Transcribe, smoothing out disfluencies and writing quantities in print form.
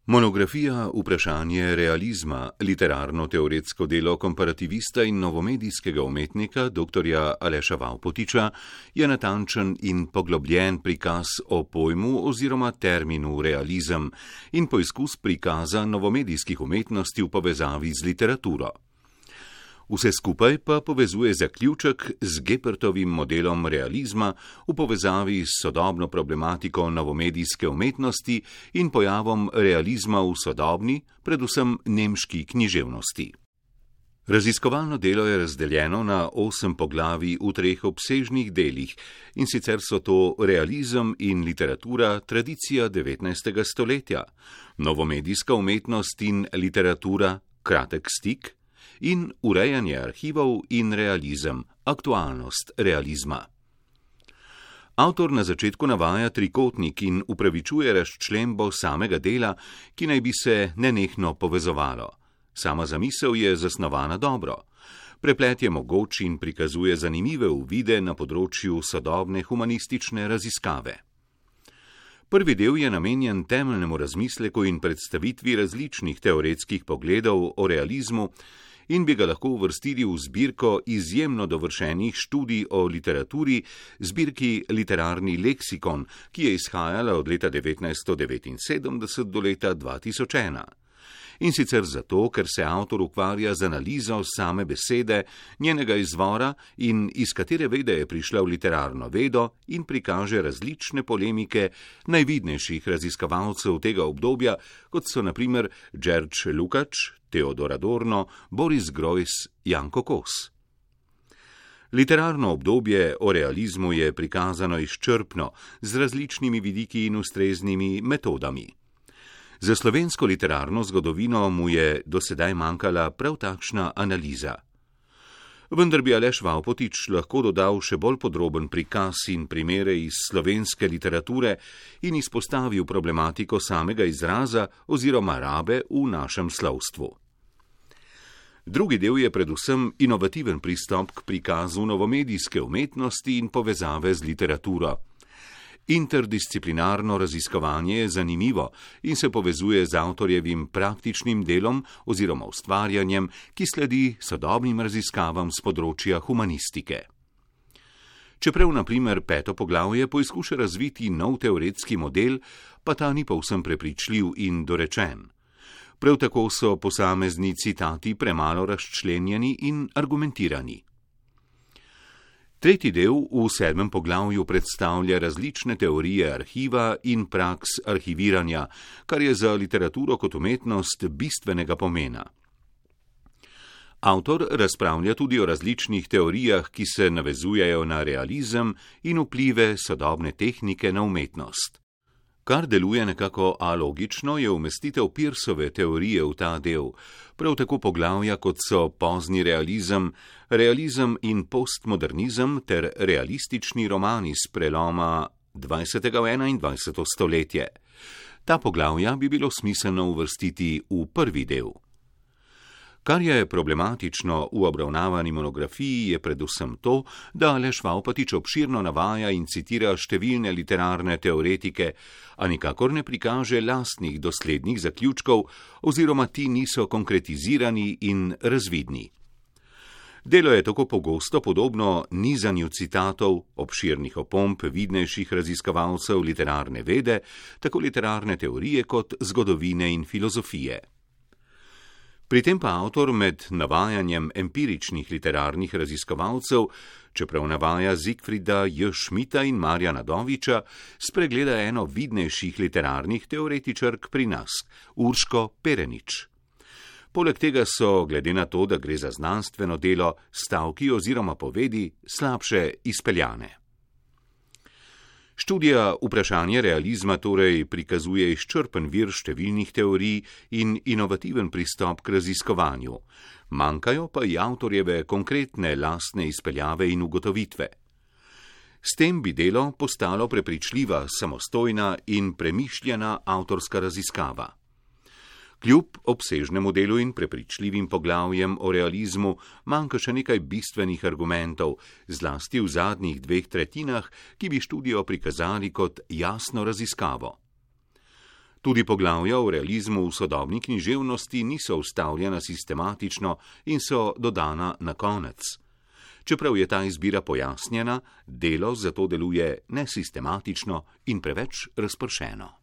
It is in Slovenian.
Monografija Vprašanje realizma, literarno-teoretsko delo komparativista in novomedijskega umetnika dr. Aleša Vavpotiča je natančen in poglobljen prikaz o pojmu oziroma terminu realizem in poizkus prikaza novomedijskih umetnosti v povezavi z literaturo. Vse skupaj pa povezuje zaključek z Gepertovim modelom realizma v povezavi s sodobno problematiko novomedijske umetnosti in pojavom realizma v sodobni, predvsem nemški književnosti. Raziskovalno delo je razdeljeno na 8 poglavij v 3 obsežnih delih, in sicer so to realizem in literatura, tradicija 19. stoletja, novomedijska umetnost in literatura, kratek stik, in urejanje arhivov in realizem, aktualnost realizma. Avtor na začetku navaja trikotnik in upravičuje razčlembo samega dela, ki naj bi se nenehno povezovalo. Sama zamisel je zasnovana dobro. Preplet je mogoč in prikazuje zanimive uvide na področju sodobne humanistične raziskave. Prvi del je namenjen temeljnemu razmisleku in predstavitvi različnih teoretskih pogledov o realizmu in bi ga lahko uvrstili v zbirko izjemno dovršenih študij o literaturi, zbirki Literarni leksikon, ki je izhajala od leta 1979 do leta 2001. In sicer zato, ker se avtor ukvarja z analizo same besede, njenega izvora in iz katere vede je prišla v literarno vedo, in prikaže različne polemike najvidnejših raziskovalcev tega obdobja, kot so na primer Đerđ Lukács, Teodor Adorno, Boris Groys, Janko Kos. Literarno obdobje o realizmu je prikazano izčrpno, z različnimi vidiki in ustreznimi metodami. Za slovensko literarno zgodovino mu je do sedaj manjkala prav takšna analiza. Vendar bi Aleš Vavpotič lahko dodal še bolj podroben prikaz in primere iz slovenske literature in izpostavil problematiko samega izraza oziroma rabe v našem slovstvu. Drugi del je predvsem inovativen pristop k prikazu novomedijske umetnosti in povezave z literaturo. Interdisciplinarno raziskovanje je zanimivo in se povezuje z avtorjevim praktičnim delom oziroma ustvarjanjem, ki sledi sodobnim raziskavam z področja humanistike. Čeprav na primer 5. poglavje poizkuša razviti nov teoretski model, pa ta ni povsem prepričljiv in dorečen. Prav tako so posamezni citati premalo razčlenjeni in argumentirani. Tretji del v 7. poglavju predstavlja različne teorije arhiva in praks arhiviranja, kar je za literaturo kot umetnost bistvenega pomena. Avtor razpravlja tudi o različnih teorijah, ki se navezujejo na realizem in vplive sodobne tehnike na umetnost. Kar deluje nekako alogično, je umestitev Pearsove teorije v ta del, prav tako poglavja, kot so pozni realizem, realizem in postmodernizem ter realistični romani s preloma 20. in 21. stoletje. Ta poglavja bi bilo smiselno uvrstiti v prvi del. Kar je problematično v obravnavani monografiji, je predvsem to, da Aleš Vavpotič obširno navaja in citira številne literarne teoretike, a nikakor ne prikaže lastnih doslednih zaključkov oziroma ti niso konkretizirani in razvidni. Delo je tako pogosto podobno nizanju citatov, obširnih opomb vidnejših raziskovalcev literarne vede, tako literarne teorije kot zgodovine in filozofije. Pri tem pa avtor med navajanjem empiričnih literarnih raziskovalcev, čeprav navaja Zigfrida J. Schmidta in Marjana Doviča, spregleda eno vidnejših literarnih teoretičark pri nas, Urško Perenič. Poleg tega so, glede na to, da gre za znanstveno delo, stavki oziroma povedi slabše izpeljane. Študija Vprašanje realizma torej prikazuje izčrpen vir številnih teorij in inovativen pristop k raziskovanju. Manjkajo pa i avtorjeve konkretne lastne izpeljave in ugotovitve. S tem bi delo postalo prepričljiva, samostojna in premišljena avtorska raziskava. Kljub obsežnemu delu in prepričljivim poglavjem o realizmu manjka še nekaj bistvenih argumentov, zlasti v zadnjih 2/3, ki bi študijo prikazali kot jasno raziskavo. Tudi poglavja o realizmu v sodobni književnosti niso ustavljena sistematično in so dodana na konec. Čeprav je ta izbira pojasnjena, delo zato deluje nesistematično in preveč razpršeno.